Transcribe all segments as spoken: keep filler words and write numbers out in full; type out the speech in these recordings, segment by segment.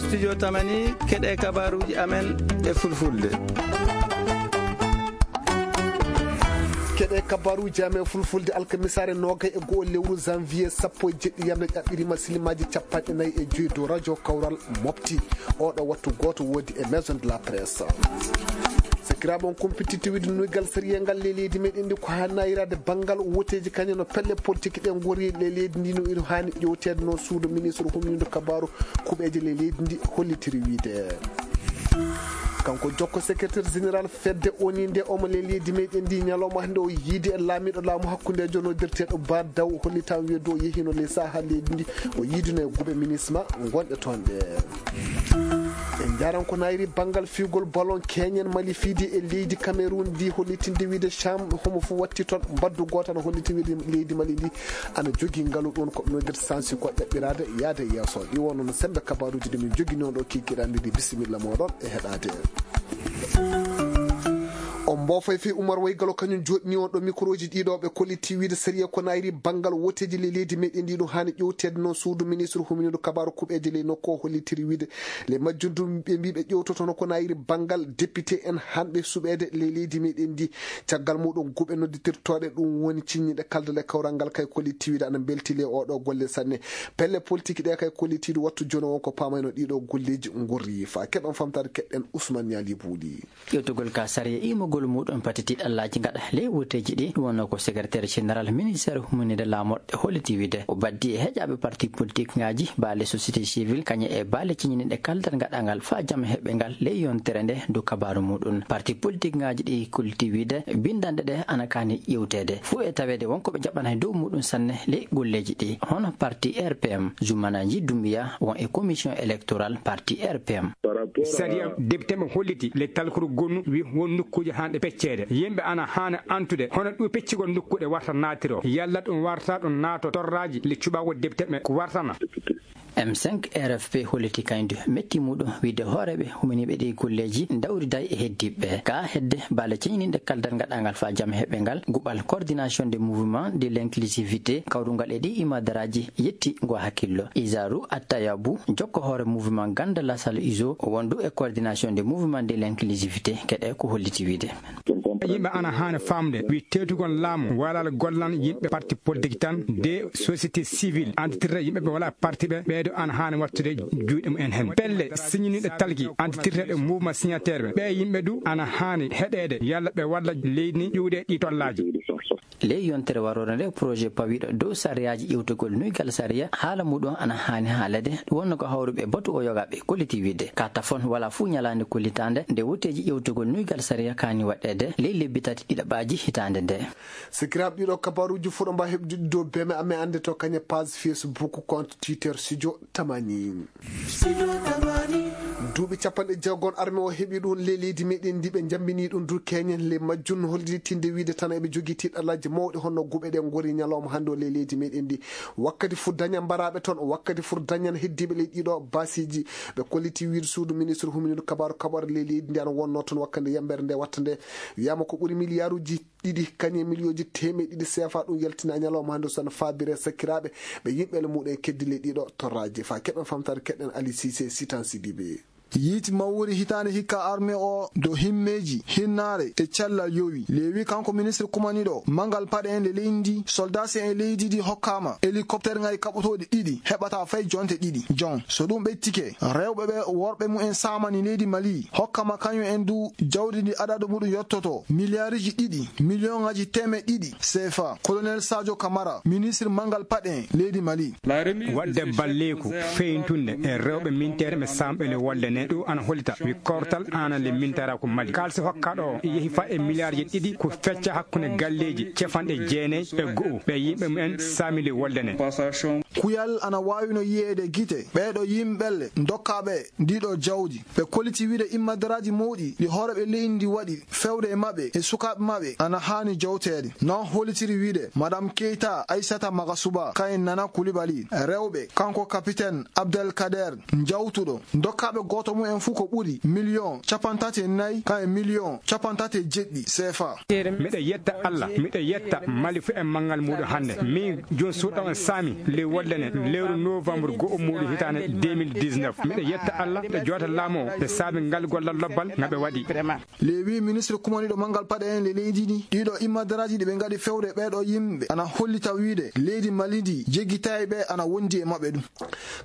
Studio Tamani, keɗe kabaruuji amen e fulfulde. Keɗe kabaruuji amen fulfulde alkamisaare noogay e go'o lewru janvier sappo e jeɗɗi yamde ƴaɓɓirima silimaaji capanɗe nayi e joyi dow radio kawral mofti. Oɗo wattu gooto woodi e maison de la presse. Sakiraaɓe, on kumpititte wiide nuygal sariya ngal ley leydi meɗen ndi ko haa nayiraade banngal woteeji kañum no pelle politique ɗe ngori ley leydi ndi no ino haani ƴewteede noon suudu ministre humnindo kabaaru kuɓeeje ley leydi ndi hollitiri wiide. Kanko jokko secrétaire général fedde oni nde omo ley leydi meɗen ndi ñalawma hannde o yiidi e laamiɗo laamu hakkundeejo noddirteeɗo ba daw hollitan wiide o yehino ley saha leydi ndi o yiidino e guɓe minisma gonɗe toon ɗe. En njaran ko nayri banngal fiigol ballon keñen mali fiidi e leydi Cameroun ndi hollitinde wiide cham homo fof watti toon mbaddu gooto ana holliti wiide leydi mali ndi ana jogii ngalu ɗum ko ɓe noddirta sansi ko ƴaɓɓiraade yaade yeeso ɗi wonno no sembe kabaruuji ɗi min jogini on ɗo kikiɗanɗe ɗi bisimilla moɗon e heɗaade. On mboofay fii Umar Waygalo kañum joɗni on ɗo mikroji ɗiɗo ɓe kolliti wiide sariya ko nayri banngal woteeji ley leydi meɗen ndi ɗum haani ƴewteede noon suudu ministre huminindo kabaru kuɓeeje ley nokku o hollitiri wiide le majjum ɗum ɓe mbi ɓe ƴewtotono ko nayri banngal député en hanɓe suɓeede ley leydi meɗen ndi. Caggal muɗum guɓe nodditirtooɗe ɗum woni ciññiɗe kaldal e kawral ngal kay kolliti wiide ana mbelti ley oɗo golle sanne. Pelle politique ɗe kay kollitiiɗo wattu jono won ko paamayno ɗiɗo golleeji ngorri fa keɗon famtaade keɗɗen Ousmane Niali Buuɗi. Ƴewtugol ka sariya imogol muɗum pati tiɗallaaji ngaɗa ley wuteeji ɗi ɗum wonno ko secrétaire général ministère huminide laamorɗe holliti wiide o baddi e heƴaaɓe parti politique ngaji baale société civile kañe e baale ciñiniɗe kaldal ngaɗangal fa jam heɓɓe ngal ley yontere nde dow kabaru muɗum parti politique ngaji ɗi kolliti wiide bindanɗe ɗe ana kaani ƴewteede fuu e taweede wonko ɓe jaɓana e dow muɗum sanne ley golleeji ɗi hono parti R P M. Jumanaji Dumbiya won e commission électorale parti R P M. Sariya debte mo holliti le talkuru gonnu wi won nokkuuje hanɗe pecceede yimɓe ana haana antude hono ɗum peccigol nokkuɗe warta naatiro yalla ɗum warta ɗum naato torraji le cuɓagol debte ɓe ko wartana. M cinq R F P holliti kañdu metti muɗum wiide hooreɓe humaniɓe ɗi golleji dawriday e heddiɓe ka hedde baale ceñininde kaldal ngaɗangal fa jam heɓɓe ngal guɓal coordination de mouvement de l'inclusivité kawrungal e ɗi imadaraji yetti ngo hakkillo. Isaru Attayabu jokko hoore mouvement ganda lasal iso wondu e coordination de mouvement de l'inclusivité keɗe ko holliti wiide. Yimɓe ana haana famde wi teetugol laamu walal gollan yimɓe parti politique tan de société civile antitirta yimɓe ɓe wala parti ɓe ɓeeɗo ana haana wattude juuɗe mumen hen pelle signiniɗe talki antitirta ɗe mouvement signataire ɓe ɓe yimɓe du ana haani heɗeede yalla ɓe walla leydi ni ƴuwde ɗi tollaaji. Ley yontere waroore nde projet pawiɗo dow sariyaaji ƴewtugol nuygal sariya haala muɗum ana haani haalede wonno ko hawruɓe batu o yogaɓe kolliti wiide ka tafon wala fuu ñalaande kollitaande nde woteeji ƴewtugol nuygal sariya kaani waɗɗeede ley lebbi tati ɗiɗaɓaaji hitaande nde. Sikiraaɓe ɗiɗo kabaruuji fuɗo mba heɓdude dow beme amen annde to kañe page Facebook compte Twitter studio tamani. Duuɓi capanɗe jeegom arme o heɓi ɗum ley leydi meɗen ndi ɓe jambini ɗum du keñen ley majjum no holliti tinde wiide tan eɓe jogii tiɗɗalaaji mawɗi honno guɓe ɗe ngori ñalawma hannde o ley leydi meɗen ndi. Wakkati fuu dañan mbaraaɓe toon wakkati fuu dañan heddiiɓe ley ɗiɗo baasiiji ɓe kolliti wiide suudu ministre huminiiɗo kabaaru kaɓore ley leydi ndi ana wonno toon wakkati yambere nde watta nde. Wiyama ko ɓuri miliyaaruuji ɗiɗi kañe miliyonji teemeɗe ɗiɗi seefa ɗum yaltina ñalawma hannde so no faabire sakiraaɓe ɓe yimɓe le muɗum e keddi ley ɗiɗo torraaji fa keɗen famtaade keɗen Ali Cissé sitan Sidibe. Yiiti mawori hitaande hikka arme o do himmeeji hinnaare e cellal yowi leewi kanko ministre kumaniɗo mangal paɗe en le leydi ndi soldasi en leydi ndi hokkama hélicoptère ngaji kaɓotooɗi ɗiɗi heɓata fay jonte ɗiɗi jon so ɗum ɓettike rewɓe ɓe worɓe mumen samani leydi mali hokkama kañum en du jawdi ndi adadu muɗum yottoto miliyariji ɗiɗi miliyoŋaji teemeɗe ɗiɗi sefa colonel sadio camara ministre mangal paɗe en leydi mali. Waɗde balleeku feyntunde e rewɓe minteere ɓe samɓe le wolde ne ɗum ana hollita wi kortal ana le mintara ko mali kalsi hokkaɗo o yehi fa e miliyarji ɗiɗi ko fecca hakkunde galleeji cefanɗe jeenayi e go'o ɓe yimɓe mumen sami le wolde ne. Kuyal ana waawino yiyeede gite ɓeeɗo yimɓelle dokkaaɓe ndiɗo jawdi ɓe kolliti wiide immadaraaji mawɗi ɗi hooreeɓe leydi ndi waɗi fewde e maɓɓe e sukaaɓe maɓɓe ana haani jawteede non hollitiri wiide madame keyta aissata magasuba kayen nana kulibali rewɓe kanko kapiten abdel kader njawtuɗo dokkaaɓe gooto mumen fuu ko ɓuri miliyon capantati e nayi kayen miliyon capantati e jeɗɗi sefa. Miɗo yetta allah miɗo yetta mali fuu e manngal muɗum hannde min joni suuɗo on sami ley wolde Lene lewru novembre go'o muɗum hitaande deux mille dix-neuf. Miɗo yetta Allah, miɗo joota laamu o e saabe ngal gollal lobbal nga ɓe waɗi. Lewi ministre kumaniɗo mangal paɗe en le leydi ndi, ɗiɗo immadaraji ɗi ɓe ngaɗi fewre ɓeɗo yimɓe ana hollita wiide leydi Mali ndi jeggitayi ɓe ana wondi e maɓɓe ɗum.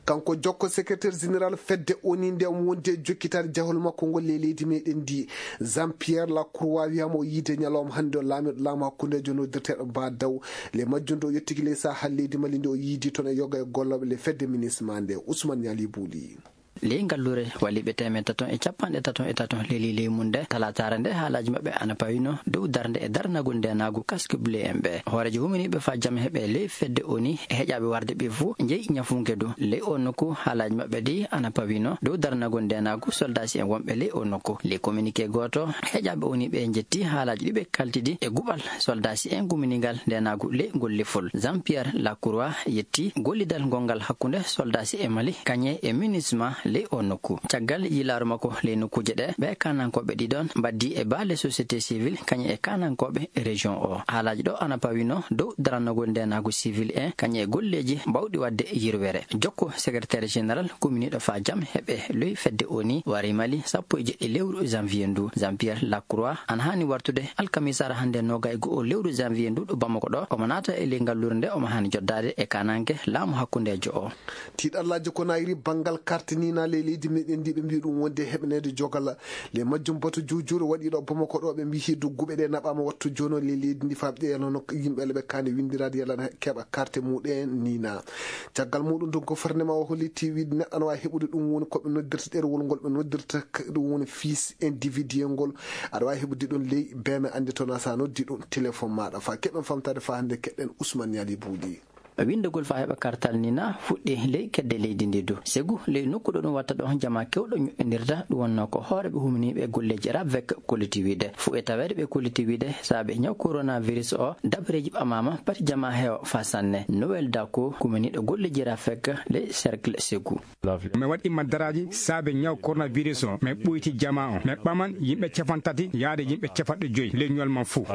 Kanko jokko secrétaire général fedde oni nde omo wondi e jokkitaade jahol makko ngol le leydi meɗen ndi, Jean Pierre Lacroix wiyama o yiide ñalawma hannde o laamiɗo laamu hakkundejo noddirteɗo ba daw le majjum ɗo yettiki ley saha leydi Mali nde o yiidi toon e yoga e gollooɓe le fedde ministre ma nde Ousmane Niali Bouli. Ley ngallure waliɓe teemeɗe tato e capanɗe tato e tato leli ley mum nde talataare nde haalaaji maɓɓe ana pawino dow darnde e darnagol ndenaagu casque bleu en ɓe. Hooreejo huminiiɓe fa jam heɓe ley fedde oni e heƴaaɓe warde ɓe fuu njeyi ñafunke du. Ley o nokku haalaaji maɓɓe ɗi ana pawino dow darnagol ndenaagu soldasi en wonɓe ley o nokku. Ley communiqué gooto heƴaaɓe oni ɓe njetti haalaaji ɗi ɓe kaltidi e guɓal soldasi en guminingal ndenaagu ley ngol lefol. Jean Pierre Lacroix yetti gollidal ngongal hakkunde soldasi e Mali kañe e minisma ley o nokku. Caggal yilaaru makko ley nokkuuje ɗe, ɓe kanankooɓe ɗiɗon mbaddi e baale société civile kañe e kanankooɓe région o. Haalaaji ɗo ana pawino dow darannagol ndenaagu civil en kañe e golleeji mbawɗi waɗde yirwere. Jokko secrétaire général kuminiiɗo fa jam heɓe loyi fedde oni wari Mali sappo e jeɗɗi lewru janvier ndu. Jean Pierre Lacroix ana haani wartude alkamisara hannde noga e go'o lewru janvier ndu ɗo Bamako ɗo. Omo naata e ley ngallure nde omo haani joddaade e kananke laamu hakkundeejo o. Tiiɗallaaji ko nayri banngal carte ni na ley leydi meɗen ndi ɓe mbiyi ɗum wonde heɓaneede jogal. Le majjum batu juujuure waɗiiɗo Bamako ɗo ɓe mbiyi dugguɓe ɗe naɓaama wattu jono le leydi ndi faɓɗe yalano yimɓe le ɓe kaani winndiraade yalana keɓa carte muɗen ni na. Caggal muɗum ɗum ko farnema o hollitti wiide neɗɗo ana waawi heɓude ɗum woni ko ɓe noddirta ɗerewol ngol ɓe noddirta k-, ɗum woni fils individuel ngol. Aɗa waawi heɓude ɗum ley beme annde toon a sa noddi ɗum téléphone maɗa fa keɓen famtade fa hannde keɗɗen Ousmane Niali Buuɗi. Winndagol faa heɓa kartal nii na fuɗɗi ley kedde leydi ndii du. Segu ley nokku ɗo ɗum watta ɗo jamaa keewɗo ñoƴƴondirta, ɗum wonnoo ko hooreeɓe huminiiɓe e golleeji RAVEC kolliti wiide. Fuu e taweede ɓe kolliti wiide saabe ñaw coronavirus o, dabareeji ɓamaama pati jamaa heewa faa sanne. Noël Dako, kuminiiɗo golleeji RAVEC ley cercle Segu. Mi waɗi maddaraaji saabe ñaw coronavirus o. Mi ɓoyti jamaa o. Mi ɓaman yimɓe capanɗe tati yaade yimɓe capanɗe joy ley ñol man fuu.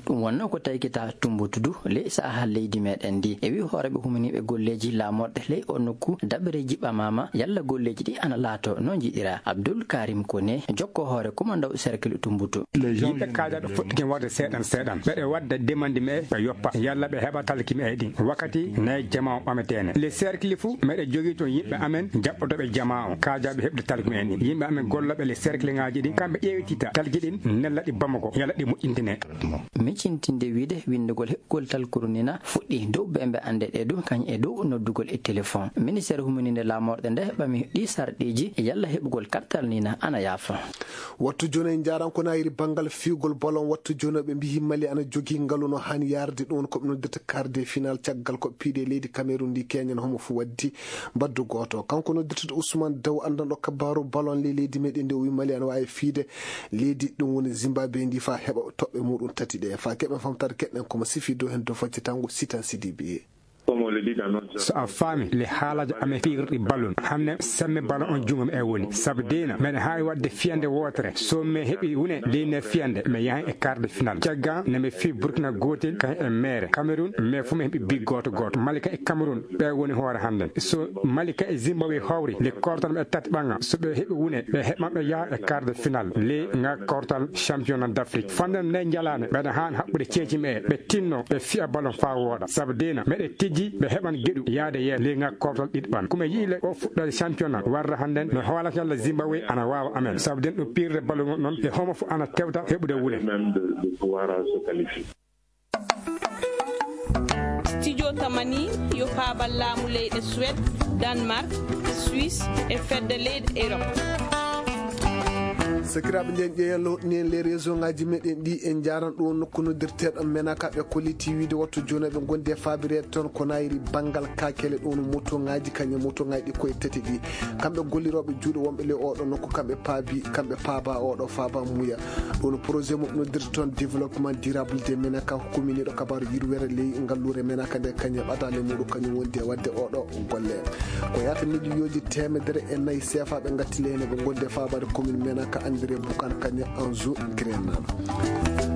Ɗum wonnoo ko taykita Tumbutu du ley saha leydi meɗen ndi. E wi hooreeɓe huminiiɓe golleeji laamorɗe ley o nokku, dabareeji ɓamaama yalla golleeji ɗi ana laato no njiɗira. Abdul Karim Kone, jokko hoore kumandaw cercle Tumbutu. Yimɓe kaajaaɓe fuɗɗike warde seeɗan seeɗan. Ɓeɗe wadda demandi me ɓe yoppa yalla ɓe heɓa talki me ɗin. Wakkati nayi jamaa o ɓameteene. Le cercle fuu meɗe jogii toon yimɓe amen jaɓɓotooɓe jamaa o. Kaajaaɓe heɓde talki me ɗin. Yimɓe amen gollooɓe le cercle ŋaaji ɗin, kamɓe ƴeewtita talki ɗin, nella ɗi Bamako, yalla ɗi moƴƴintine. Micintinde wiide winndugol heɓgol talkuru nii na fuɗɗi dow bembe annde ɗe du, kañ e dow noddugol e téléphone. Ministère humininde laamorɗe nde ɓami ɗi sarɗiiji e yalla heɓugol kartal nii na ana yaafa. Wattu jooni en njaaran ko nayiri banngal fiigol ballon. Wattu jooni ɓe mbiyi Mali ana jogii ngalu no haani yaarde ɗum ko ɓe noddirta quart de finale caggal ko piide leydi Cameroun ndi keñen homo fu waddi mbaddu gooto. Kanko noddirta Ousmane Daw anndanɗo kabaaru ballon ley leydi meɗen ndi o wi Mali ana waawi fiide leydi ɗum woni Zimbabwe ndi faa heɓa toɓɓe muɗum tati ɗe. Faa keɓen famtaade keɗen komo sifi dow heen dow faccitango Sitan Sidibe. So a faami le haalaaji amen fiirɗi ballon, hannde semme ballon on junngo me e woni. Sabu deena meɗen haawi waɗde fiyande wootere. So me heɓi wune ley ne fiyande, me yahan e quart de finale. Caggal ne me fii Burkina gootel kañ e meere. Cameroun, me fu me heɓi bi gooto gooto. Mali kañ e Cameroun, ɓe woni hoore hannde. So Mali kañ e Zimbabwe hawri, le kortal ɓe tati ɓaŋa. So ɓe heɓi wune, ɓe heɓan ɓe yaha e quart de finale. Le nga kortal championnat d'Afrique. Fanden ne njalaane, ɓeɗa haan haɓɓude ceeci me, ɓe tinno, ɓe fiya ballon faa wooɗa. Sabu deena, meɗe tijji, ɓe heɓan geɗu yaade yeeso. Le nga kortal ɗiɗi ɓan. Kuma yi'i le o fuɗɗoode championnat, warra hannde no hoolata yalla Zimbabwe ana waawa amen. Sabu den ɗum piirde ballon noon, e homo fu ana tewta heɓude wune. Studio Tamani yo paabal laamu leyɗe Suède, Danemark, Suisse e fedde leyɗe Europe. Sakiraaɓe, nden ƴeewen lowɗini en les réseau ngaji meɗen ɗi, en njaran ɗo nokku noddirteɗo Menaka. Ɓe kolliti wiide wattu jooni ɓe gondi e faabireede toon ko nayri banngal kakele ɗo no moto ngaji kañum moto ngaji ɗi koye tati ɗi. Kamɓe gollirooɓe juuɗe wonɓe ley oɗo nokku, kamɓe paabi, kamɓe paaba oɗo faaba muuya. Ɗum projet mo noddirta toon développement durable de Menaka, hukuminiiɗo kabaaru yirwere ley ngalluure Menaka nde kañum ɓadaale muɗum kañum wondi e waɗde oɗo golle. Ko yahata miliyooji teemedere e nayi seefa ɓe ngatti ley hene ɓe gondi e faabaade commune Menaka. André Boucan Kanya Anzo Grenal.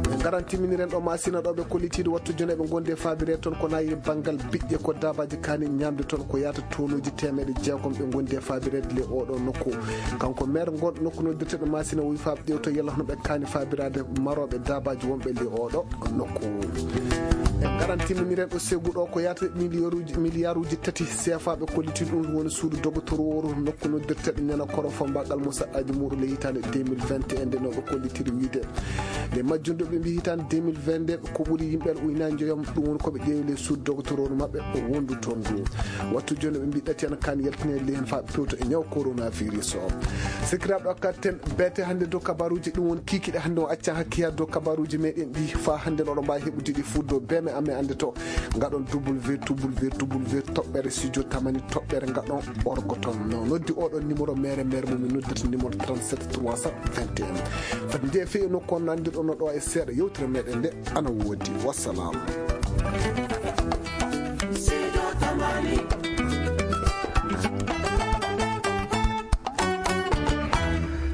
Ɓe ngaran timminiren ɗo masina ɗo ɓe kollitiiɗo wattu jone ɓe ngondi e faabire toon ko nayi banngal biƴƴe ko daabaaji kaani ñaamde toon ko yaata tonuuji teemeɗe jeegom ɓe ngondi e faabireede le oɗo nokku. Kanko maire ngon nokku noddirteɗo masina o wi faaɓe ƴewta yalla hono ɓe kaani faabiraade marooɓe daabaaji wonɓe le oɗo nokku. E ngaran timminiren ɗo segu ɗo ko yaata miliyaruuji miliyaruuji tati seefa ɓe kolliti ɗum woni suudu dogotorooru nokku noddirteɗo ñana koro fombagal mo saɗɗaji muɗum le hitande deux mille vingt et un nde no ɓe kollitiri wiide nde majjunɗo ɓe mbi hitande deux mille vingt nde ko ɓuri yimɓe ujunaaji joyom ɗum woni koɓe ƴeewi le suudu dogotorooru maɓɓe o wondu toon ndu. Wattu joni ɓe mbi ɗati en kan yaltinede le hen fa pewto e ñaw coronavirus o. Sikiraɓe o katten beete hannde dow kabaruji ɗum woni kikiɗe hannde o accan hakke haa dow kabaruji meɗen ɗi fa hannde no ɗo mbawi heɓude ɗi fuɗɗo beme amen annde to ngaɗon www toɓɓere studio tamani toɓɓere ngaɗon orgo toon no noddi oɗon numéro mere mere mum min noddata numéro trente-sept trois cent vingt et un. Fati nde fewi nokku on nandirɗon no ɗo e seeɗa yewtere meɗen nde ana woodi. Wassalamu.